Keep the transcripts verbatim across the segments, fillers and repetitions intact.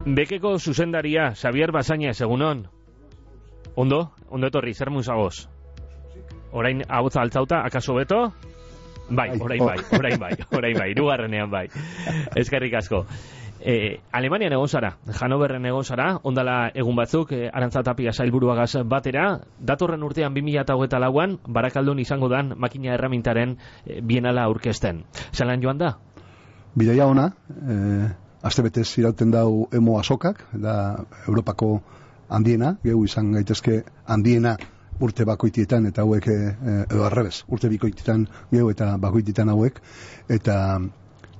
Bekeko zuzendaria, Xavier Basañez, egunon. Ondo, ondo etorri, zer musagoz? Orain ahotsa altzauta, akaso beto? Bai, orain bai, orain bai, orain bai, hirugarrenean bai. Eskerrik asko. Eh, Alemanian egon zara, Hannoverren egon zara, ondala egun batzuk, eh, Arantza Tapia sailburuagaz batera, datorren urtean bi mila hogeita lauan, Barakaldon izango dan makina erramintaren eh, bienala aurkezten. Zelan joan da? Bidaia ona, eh, astebetez irauten dau emo azokak, da Europako handiena, gehu izan gaitezke handiena urte bakoitietan, eta hauek, eh, edo arrebez, urte bikoitietan gehu eta bakoitietan hauek, eta,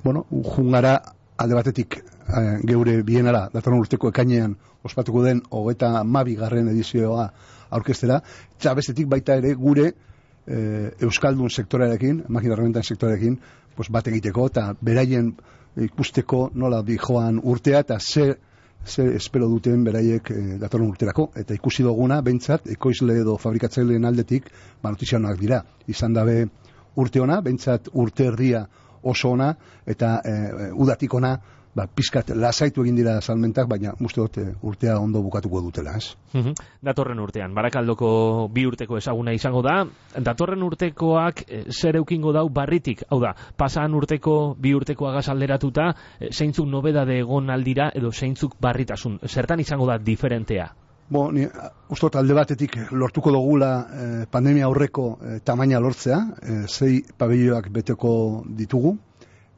bueno, jungara alde batetik eh, geure bienara, datorren urteko ekainean ospatuko den hogeita hamabi garren edizioa aurkeztera, eta bestetik baita ere gure eh, Euskaldun sektorearekin, makina herramientan sektorearekin, pues, bat egiteko, eta beraien ikusteko nola di joan urtea, eta ze, ze espero duten beraiek eh, datorren urterako, eta ikusi duguna, behintzat, ekoizle edo fabrikatzaileen aldetik, ba, notizianak dira, izan dabe urte ona, behintzat urte erdia oso ona, eta e, udatik ona, ba, pizkat lasaitu egin dira salmentak, baina uste dut urtea ondo bukatuko dutela, ez? Datorren urtean, Barakaldoko bi urteko ezaguna izango da, datorren urtekoak e, zer eukingo dau barritik, hau da, pasan urteko bi urtekoagaz alderatuta, e, zeintzuk nobedade egon aldira, edo zeintzuk barritasun, zertan izango da diferentea? Bo, ni uste dut alde batetik lortuko dugula eh, pandemia aurreko eh, tamaina lortzea, eh, zei pabelloak beteko ditugu,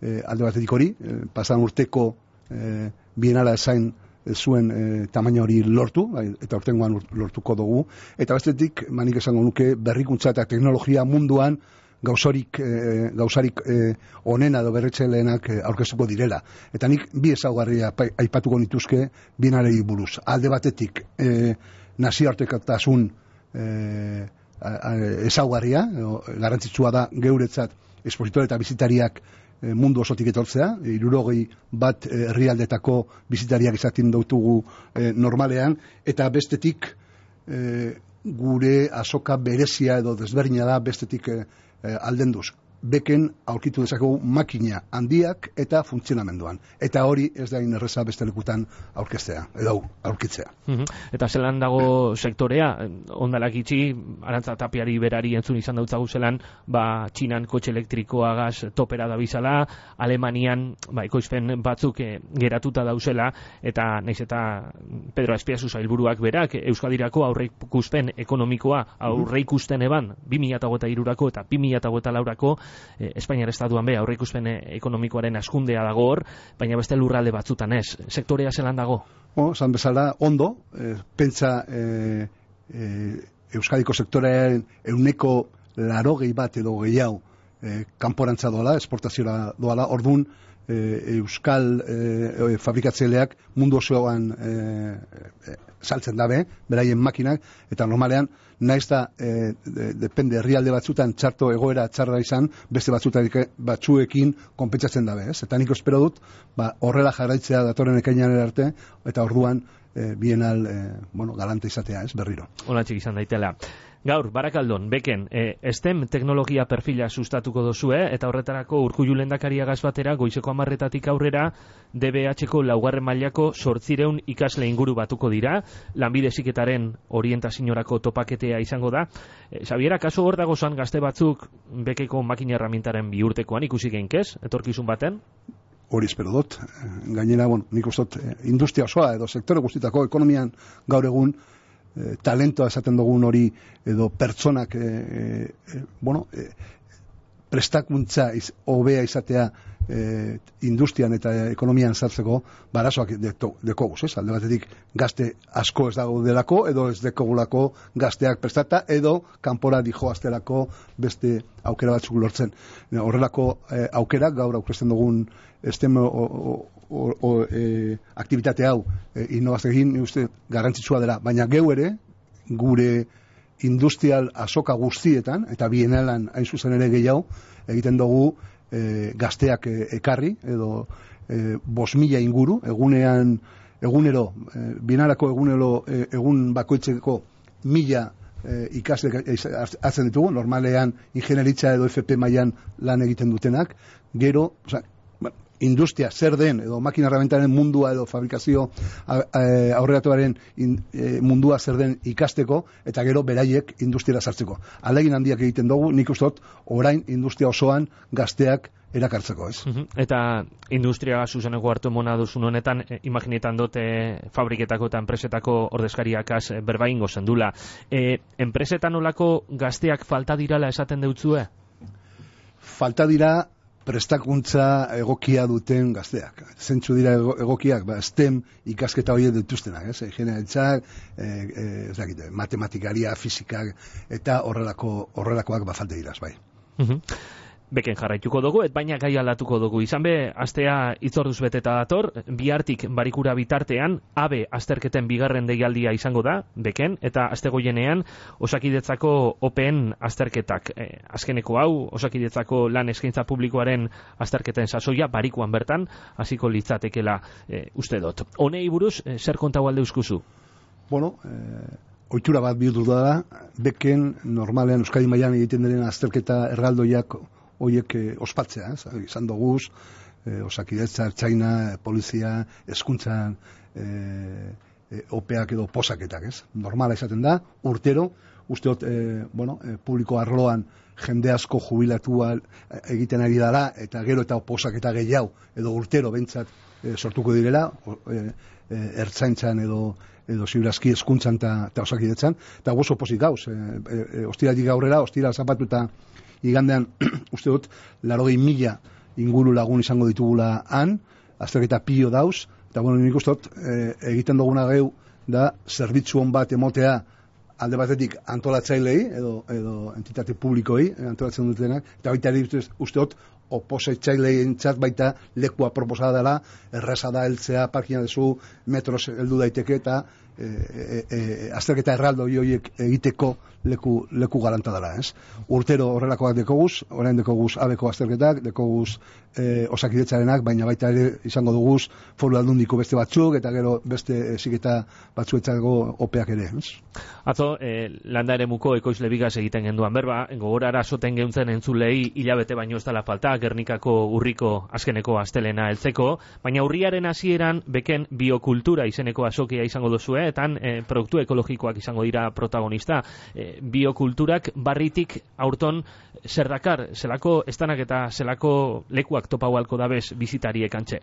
eh, alde batetik hori, eh, pasan urteko eh, bienala esain eh, zuen eh, tamaina hori lortu, bai, eta urtengoan lortuko dugu, eta bestetik, manik esango nuke, berrikuntza eta teknologia munduan gauzarik, eh, gauzarik eh, onena edo berretxeleenak eh, aurkeztuko direla. Eta nik bi ezaugarria aipatuko nituzke bienalei buruz. Alde batetik eh, nazioartekotasun eh, ezaugarria, eh, garrantzitsua da geuretzat espositore eta bizitariak eh, mundu osotik etortzea, hirurogei bat herrialdetako eh, bizitariak izaten dautugu eh, normalean, eta bestetik eh, gure azoka berezia edo desberdina da bestetik eh, Eh, aldenduz, beken aurkitu dezakegu makina handiak eta funtzionamenduan. Eta hori ez da inerreza beste lekutan aurkeztea, edo aurkitzea. Uh-huh. Eta zelan dago sektorea, ondalak itxi, Arantza Tapiari berari entzun izan dautzagu zelan, ba, Txinan kotxe elektrikoagaz topera da bizala, Alemanian ba, ekoizpen batzuk eh, geratuta dauzela, eta naiz eta Pedro Azpiazu sailburuak berak, Euskadirako aurreikuspen ekonomikoa aurreikusten eban, bi mila hogeita hirurako eta bi mila hogeita laurako Eh, Espainiar estatuan be aurreikuspen ekonomikoaren askundea dago hor, baina beste lurralde batzutan ez. Sektorea zelan dago? Bo, zan bezala, ondo, eh, pentsa eh, eh, Euskadiko sektorearen euneko larogei bat edo gehiago eh, kanporantza doala, esportaziora doala, ordun eh, Euskal eh, fabrikatzaileak mundu osoan eh, eh, saltzen dabe, beraien makinak, eta normalean, naiz da, eh, de, depende, herrialde batzutan txarto egoera txarra izan, beste batzutan batzuekin konpentsatzen dabe, ez? Eta nik espero dut, ba, horrela jarraitzea datorren ekainan arte, eta orduan, eh, bienal, eh, bueno, galante izatea, ez, berriro. Olatxik izan daitela. Gaur, Barakaldon, beken, e, STEM teknologia perfila sustatuko dozue, eta horretarako Urkullu lehendakariagaz batera, goizeko hamarretatik aurrera, D B H-ko laugarren mailako zortzireun ikasle inguru batuko dira, lanbide heziketaren orientaziorako topaketea izango da. E, Xabiera, kaso hor dago zan gazte batzuk bekeko makina herramientaren bihurtekoan ikusi geinkez, etorkizun baten? Hori espero dut. Gainera, bueno, nik ustot, industria osoa edo sektore guztitako ekonomian gaur egun Eh, talentoa esaten dugun hori edo pertsonak eh, eh, bueno, eh, prestakuntza iz, hobea izatea eh, industrian eta ekonomian sartzeko barazoak dekoguz, ez? Alde batetik gazte asko ez dago delako edo ez dekogulako gazteak prestata edo kanpora dijoaztelako beste aukera batzuk lortzen. Horrelako eh, aukerak gaur aurkezten dugun STEM o, o, o, o, e, aktivitate hau e, innovazioekin uste garrantzitsua dela, baina geu ere gure industrial azoka guztietan eta bienalan hain zuzen ere gehiago egiten dugu e, gazteak e, ekarri edo e, bos mila inguru egunean egunero e, bienalako egunero e, egun bakoitzeko mila e, ikasle hartzen ditugu, normalean ingenieritza edo F P mailan lan egiten dutenak, gero, oza, industria zer den, edo makina herramientaren mundua edo fabrikazio aurreratuaren e, mundua zer den ikasteko, eta gero beraiek industriara sartzeko. Ahalegin handiak egiten dugu, nik uste dut, orain industria osoan gazteak erakartzeko, ez? Uh-huh. Eta industria zuzeneko hartu emona duzun honetan, eh, imaginetan dute fabriketako eta enpresetako ordezkariakaz eh, berba ingo zendula. Eh, enpresetan olako gazteak falta dirala esaten deutzue? Falta dira prestakuntza egokia duten gazteak. Zentzu dira egokiak, ba, STEM ikasketa horiek dituztenak, ez? Ingeniaritzak, e, e, ez dakite, matematikaria, fisikak, eta horrelako, horrelakoak ba falta diraz, bai. Uh-huh. Beken jarraituko dugu, et baina gai aldatuko dugu. Izan be, astea itzorduz beteta dator, bihartik barikura bitartean, abe azterketen bigarren deialdia izango da, beken, eta astegoienean Osakidetzako open azterketak. E, azkeneko hau, Osakidetzako lan eskaintza publikoaren azterketen sasoia, barikuan bertan, hasiko litzatekela e, uste dut. Honei buruz, e, zer kontau alde uskuzu? Bueno, eh... ohitura bat bihurtu da, beken normalean Euskadi mailan egiten diren azterketa erraldoiak horiek eh, ospatzea, ez? Izan doguz, eh, Osakidetza, Ertzaina, polizia, hezkuntzan, eh, eh, opeak edo posaketak, ez? Normala izaten da, urtero, usteot, eh, bueno, eh, publiko arloan jende asko jubilatua egiten ari dela, eta gero eta posaketa gehiago, edo urtero bentsat eh, sortuko direla, eh, eh, Ertzaintzan edo edo ziurazki hezkuntzan eta Osakidetzan, eta oso pozik gauz, e, e, ostiratik aurrera, ostira zapatu eta igandean, uste dut, larogei mila inguru lagun izango ditugula han, azterketa pio dauz, eta bueno, nik uste dut, e, egiten duguna geu, da, zerbitzu hon bat emotea, alde batetik antolatzailei, edo, edo entitate publikoei, antolatzen dutenak, eta baita ere uste dut, oposetxaileentzat baita lekua proposada dela, erraza da heltzea, parkina dezu, metros heldu daiteke, eta e, e, e, azterketa erraldo horiek egiteko leku, leku garanta dela, ez? Urtero horrelakoak dekoguz, orain dekoguz abeko azterketak, dekoguz e, Osakidetzarenak, baina baita ere izango duguz foru aldundiko beste batzuk, eta gero beste eziketa batzuetzako opeak ere, ez? Atzo, eh, landa eremuko ekoizle bigaz egiten genduan berba, gogorara soten geuntzen entzulei hilabete baino ez dela falta, Gernikako urriko azkeneko astelena heltzeko, baina urriaren hasieran beken biokultura izeneko azokia izango duzue, eta eh, produktu ekologikoak izango dira protagonista. Eh, biokulturak barritik aurton zer dakar, zelako estanak eta zelako lekuak topau halko dabez bizitariek antxe?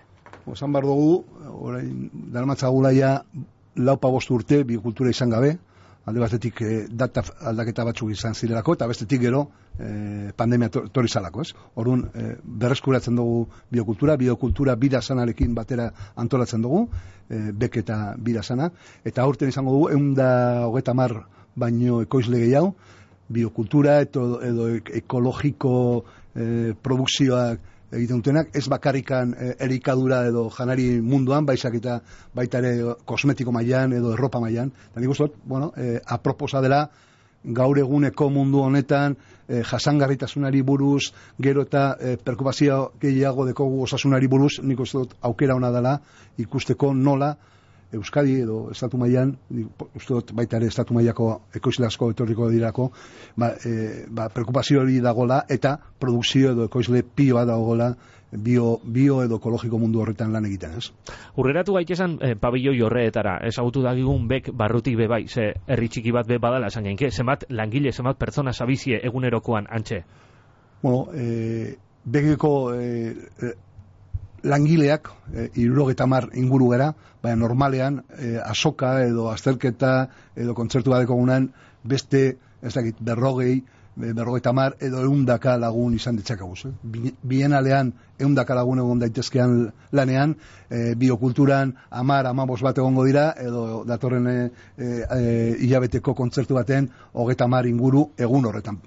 Osan bar dugu, orain daramatzagula ja laupa bost urte biokultura izan gabe, alde batetik eh, data aldaketa batzuk izan zirelako, eta bestetik gero eh, pandemia torri zalako, ez? Orduan, eh, berreskuratzen dugu biokultura, biokultura bida sanarekin batera antolatzen dugu, eh, bek eta bida sana, eta aurten izango dugu, egun da hogeta mar baino ekoizle gehiago, biokultura edo, edo ekologiko eh, produkzioak egiten dutenak, ez bakarrikan e, erikadura edo janari munduan, baisak eta baita ere kosmetiko mailan edo erropa mailan. Eta nik uste dut, bueno, e, aproposa dela gaur eguneko mundu honetan e, jasangarritasunari buruz, gero eta e, perkupazio gehiago dekogu osasunari buruz, nik uste dut aukera ona dela ikusteko nola Euskadi edo estatu mailan, uste dut baita ere estatu mailako ekoizle asko etorriko dirako, ba, e, ba, preokupazio hori dagola eta produkzio edo ekoizle pioa dagoela bio, bio edo ekologiko mundu horretan lan egiten, ez? Urreratu gaitesan eh, pabilloi horretara, ezagutu dagigun bek barrutik be bai, ze herri txiki bat be badala esan genke, zenbat langile, zenbat pertsona sabizie egunerokoan antxe? Bueno, eh, bekeko eh, eh, langileak e, hirurogeta hamar inguru gara, baina normalean e, azoka edo azterketa edo kontzertu bat dekogunan beste, ez dakit, berrogei, berrogeita hamar edo eundaka lagun izan ditzakaguz. Eh? Bienalean eundaka lagun egon daitezkean lanean, e, biokulturan hamar, hamabos bat egongo dira, edo datorren e, e, hilabeteko kontzertu baten hogeita hamar inguru egun horretan.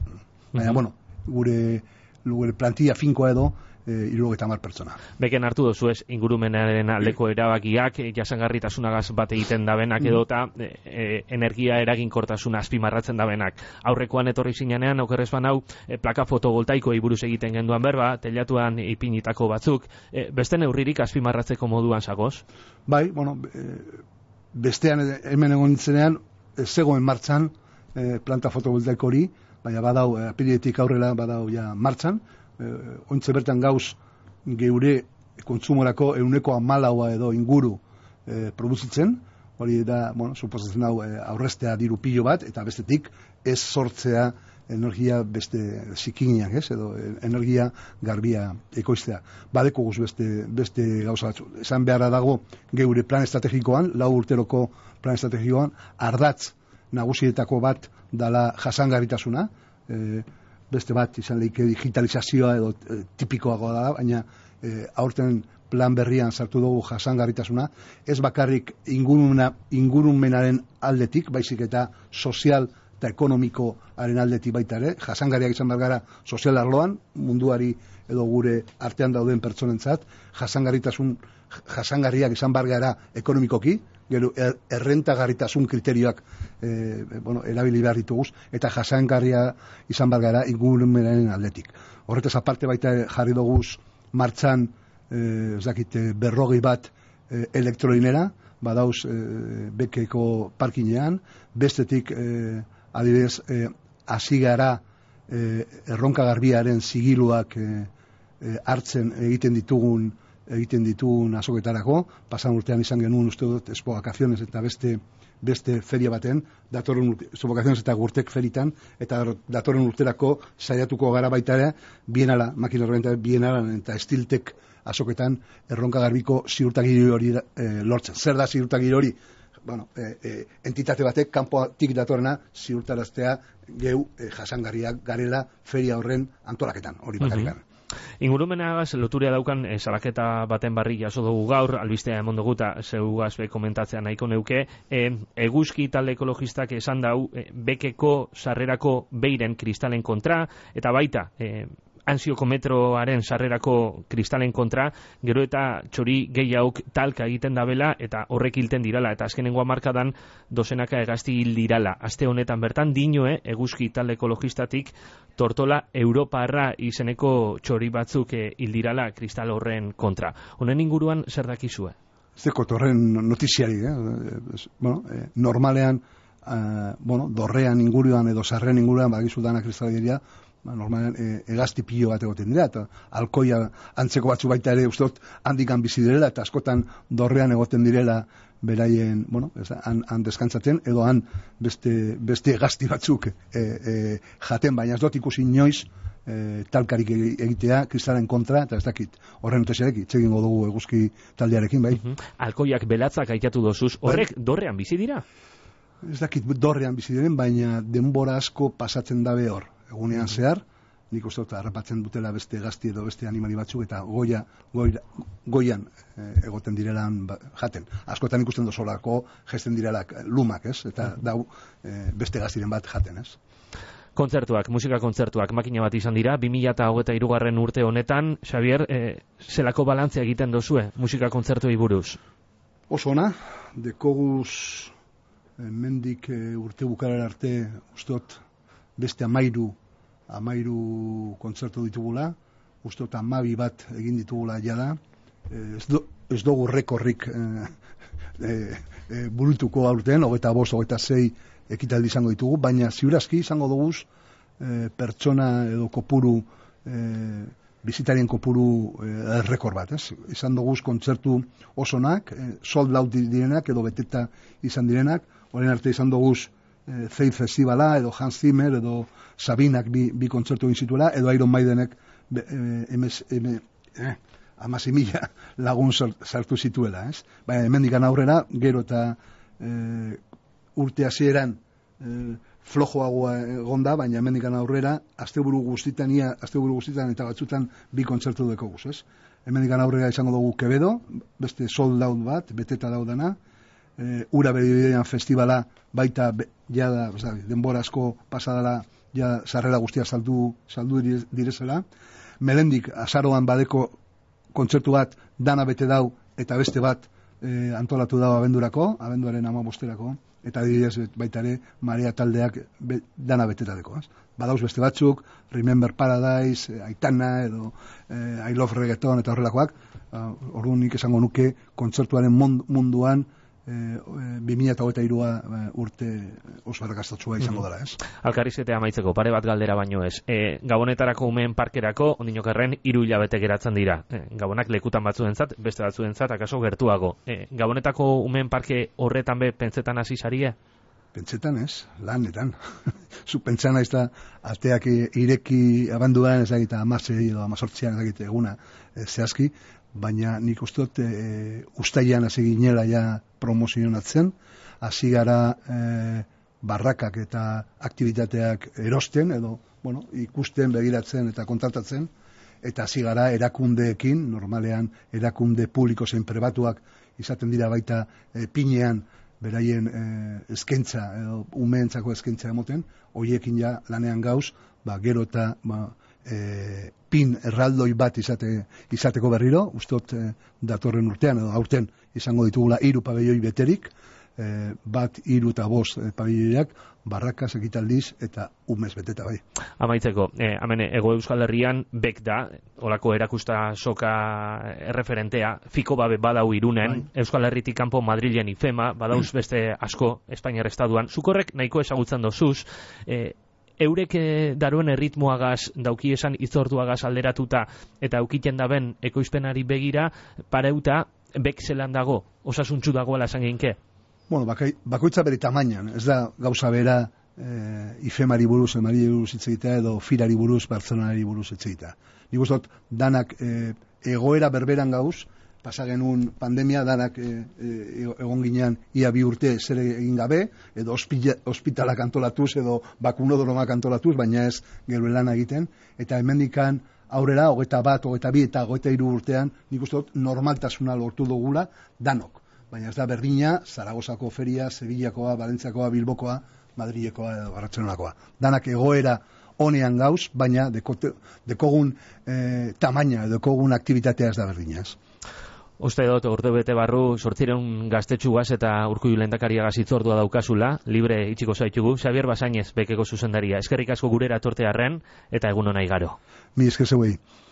Baina, mm-hmm. bueno, gure, gure plantilla finkoa edo, hirurogeita hamar pertsona. Beken hartu dozu ez, ingurumenaren aldeko erabakiak, jasangarritasunagaz bat egiten dabenak edota e, e, energia eraginkortasuna azpimarratzen dabenak. Aurrekoan etorri zinean, okerrez banau, e, plaka fotovoltaikoei buruz egiten genduan berba, telatuan ipinitako batzuk, e, beste neurririk azpimarratzeko moduan zagoz? Bai, bueno, e, bestean hemen egon nintzenean, e, zegoen martxan e, planta fotovoltaiko hori, baina badau, e, apiriletik aurrela badau ja martxan, ointze bertan gauz geure kontsumorako ehuneko hamalaua edo inguru e, produzitzen, hori da, bueno, suposatzen hau e, aurrestea diru pilo bat, eta bestetik ez sortzea energia beste zikiniak, ez, edo energia garbia ekoiztea. Badeko guz beste, beste gauza batzu. Esan beharra dago geure plan estrategikoan, lau urteroko plan estrategikoan, ardatz nagusietako bat dala jasangarritasuna, e, beste bat izan lehike digitalizazioa edo e, tipikoagoa da, baina e, aurten plan berrian sartu dugu jasangarritasuna, ez bakarrik ingurumena, ingurumenaren aldetik, baizik eta sozial eta ekonomikoaren aldetik baita ere, jasangarriak izan behar gara sozial arloan, munduari edo gure artean dauden pertsonentzat, jasangarritasun, jasangarriak izan behar gara ekonomikoki, gero er, errentagarritasun kriterioak e, bueno, erabili behar dituguz, eta jasangarria izan behar gara ingurumenaren aldetik. Horretaz aparte baita jarri duguz martxan, e, ez dakite, berrogei bat e, elektrolinera, badauz e, Bekeko parkinean, bestetik e, adibidez, hasi e, gara e, erronka garbiaren zigiluak e, e, hartzen egiten ditugun egiten ditugun azoketarako, pasan urtean izan genuen uste dut Expo Vacaciones eta beste beste feria baten, datorren urte, Expo Vacaciones eta Gurtek feritan, eta datorren urterako saiatuko gara baita ere, bienala, makina horrenta bienala eta Estiltek azoketan erronka garbiko ziurtagiri hori e, lortzen. Zer da ziurtagiri hori? Bueno, e, e, entitate batek kanpotik datorrena ziurtaraztea geu e, jasangarriak garela feria horren antolaketan, hori bakarrikan. Mm-hmm. Ingurumenagaz loturia daukan e, salaketa baten barri jaso dugu gaur, albistea emon dugu eta zeugaz be komentatzea nahiko neuke, e, eguzki talde ekologistak esan dau e, Bekeko sarrerako beiren kristalen kontra, eta baita e, Ansioko metroaren sarrerako kristalen kontra, gero eta txori gehiauk talka egiten dabela eta horrek hilten dirala, eta azkenengo hamarkadan dozenaka hegazti hil dirala. Aste honetan bertan dinoe eguzki talde ekologistatik tortola europarra izeneko txori batzuk hil dirala kristal horren kontra. Honen inguruan zer dakizue? Zeko torren notiziari, eh? bueno, eh, normalean, eh, bueno, dorrean inguruan edo sarren inguruan bagizu dana kristaleria, ba, normalean e, egazti pilo bat egoten dira, eta alkoia antzeko batzu baita ere ustot handikan bizi direla, eta askotan dorrean egoten direla beraien, bueno, ez, han, han deskantzaten, edo han beste, beste egazti batzuk e, e, jaten, baina ez dut ikusi inoiz e, talkarik egitea kristalen kontra, eta ez dakit horren utesiarek itxegingo dugu eguzki taldearekin, bai. Uh-huh. Alkoiak belatzak aitatu dozuz, horrek bai. Dorrean bizi dira? Ez dakit dorrean bizi diren, baina denbora asko pasatzen dabe hor. Egunean zehar, nik uste dut harrapatzen dutela beste gazti edo beste animali batzuk eta goia, goira, goian e, egoten direlan ba, jaten. Askotan ikusten dozolako gesten direlak lumak, ez? Eta dau e, beste gaztiren bat jaten, ez? Kontzertuak, musika kontzertuak, makina bat izan dira, bi mila hogeita hirugarren urte honetan, Xavier, e, zelako balantzea egiten dozue musika kontzertuei buruz? Oso ona, dekoguz e, mendik e, urte bukarar arte ustot beste amairu amairu kontzertu ditugula, uste eta amabi bat egin ditugula jada, ez, do, ez dugu rekorrik e, e, e, burutuko aurten, hogeita bost, hogeita sei ekitaldi izango ditugu, baina ziurazki izango dugu e, pertsona edo kopuru, e, bizitarien kopuru e, rekor bat, ez? Izan dugu kontzertu osonak, e, sold out direnak edo beteta izan direnak, horren arte izan dugu E, Faith Festivala, edo Hans Zimmer, edo Sabinak bi, bi kontzertu egin zituela, edo Iron Maidenek eh, amasi mila lagun sartu zituela, ez? Baina hemendikan aurrera, gero eta e, urte hasieran e, flojoagoa egonda, baina hemendikan aurrera, asteburu guztitan, ia, asteburu guztitan eta batzutan bi kontzertu dekoguz, ez? Hemendikan aurrera izango dugu Quevedo, beste sold out bat, beteta daudana, E, ura beridean festivala baita be, jada, zabi, denbora asko pasadala ja sarrera guztia saldu, saldu direzela. Melendik azaroan badeko kontzertu bat dana bete dau eta beste bat e, antolatu dau abendurako, abenduaren amabosterako, eta adibidez baita ere Marea taldeak be, dana betetadeko. Ez? Badauz beste batzuk, Remember Paradise, Aitana edo e, I Love Reggaeton eta horrelakoak, uh, orduan nik esango nuke kontzertuaren munduan bi mila hogeita hirua urte oso arrakastatsua izango dela, ez? Alkarrizketea amaitzeko, pare bat galdera baino ez. E, Gabonetarako umeen parkerako, ondinokerren, hiru hilabete geratzen dira. E, Gabonak lekutan batzuentzat, beste batzuentzat, akaso gertuago. E, Gabonetako umeen parke horretan be, pentsetan hasi sarie? Pentsetan ez, lanetan. Zu pentsan naiz da, ateak ireki abanduan, ez dakit, amasei edo amazortzian, ez dakit, eguna e, zehazki, baina nik uste dut e, ustaian hasi ginela ja promozionatzen, hasi gara e, barrakak eta aktivitateak erosten, edo bueno, ikusten, begiratzen eta kontratatzen, eta hasi gara erakundeekin, normalean erakunde publiko zein pribatuak izaten dira baita e, pinean beraien e, eskaintza, edo umeentzako eskaintza emoten, hoiekin ja lanean gauz, ba, gero eta ba, E, pin erraldoi bat izate, izateko berriro, ustot e, datorren urtean edo aurten izango ditugula hiru pabelloi beterik, e, bat hiru eta bost e, pabelloiak barrakaz, ekitaldiz eta umez beteta bai. Amaitzeko, eh, hemen Hego Euskal Herrian bek da, olako erakusta soka erreferentea, fiko babe badau Irunen, bai. Euskal Herritik kanpo Madrilen ifema, badauz beste asko Espainiar estatuan, zukorrek nahiko ezagutzen dozuz, eh, eurek daruen erritmoagaz, dauki esan itzortuagaz alderatuta, eta aukiten daben ekoizpenari begira, pareuta, bek zelan dago, osasuntzu dagoela esan geinke? Bueno, bakai, bakoitza bere tamainan, ez da gauza bera e, ifemari buruz, emari buruz hitz egitea, edo firari buruz, Bartzelonari buruz hitz egitea. Nik uste dut, danak e, egoera berberan gauz, pasa genuen pandemia, danak e, e, egon ginean ia bi urte zer egin gabe, edo ospitalak antolatuz, edo bakunodromak antolatuz, baina ez gero lana egiten, eta hemendikan aurrera, hogeita bat, hogeita bi eta hogeita hiru urtean, nik uste dut normaltasuna lortu dugula danok. Baina ez da berdina, Zaragozako feria, Sevillakoa, Valentziakoa, Bilbokoa, Madrilekoa edo Bartzelonakoa. Danak egoera honean gauz, baina dekote, dekogun e, tamaina, dekogun aktivitatea ez da berdina. Ez. Uste dut, urte bete barru, sortzireun gaztetxugaz eta Urkullu lehendakariagaz hitzordua daukazula, libre itxiko zaitugu, Xabier Basainez bekeko zuzendaria. Eskerrik asko gurera tortearren eta egun honai garo. Mi esker zeuei.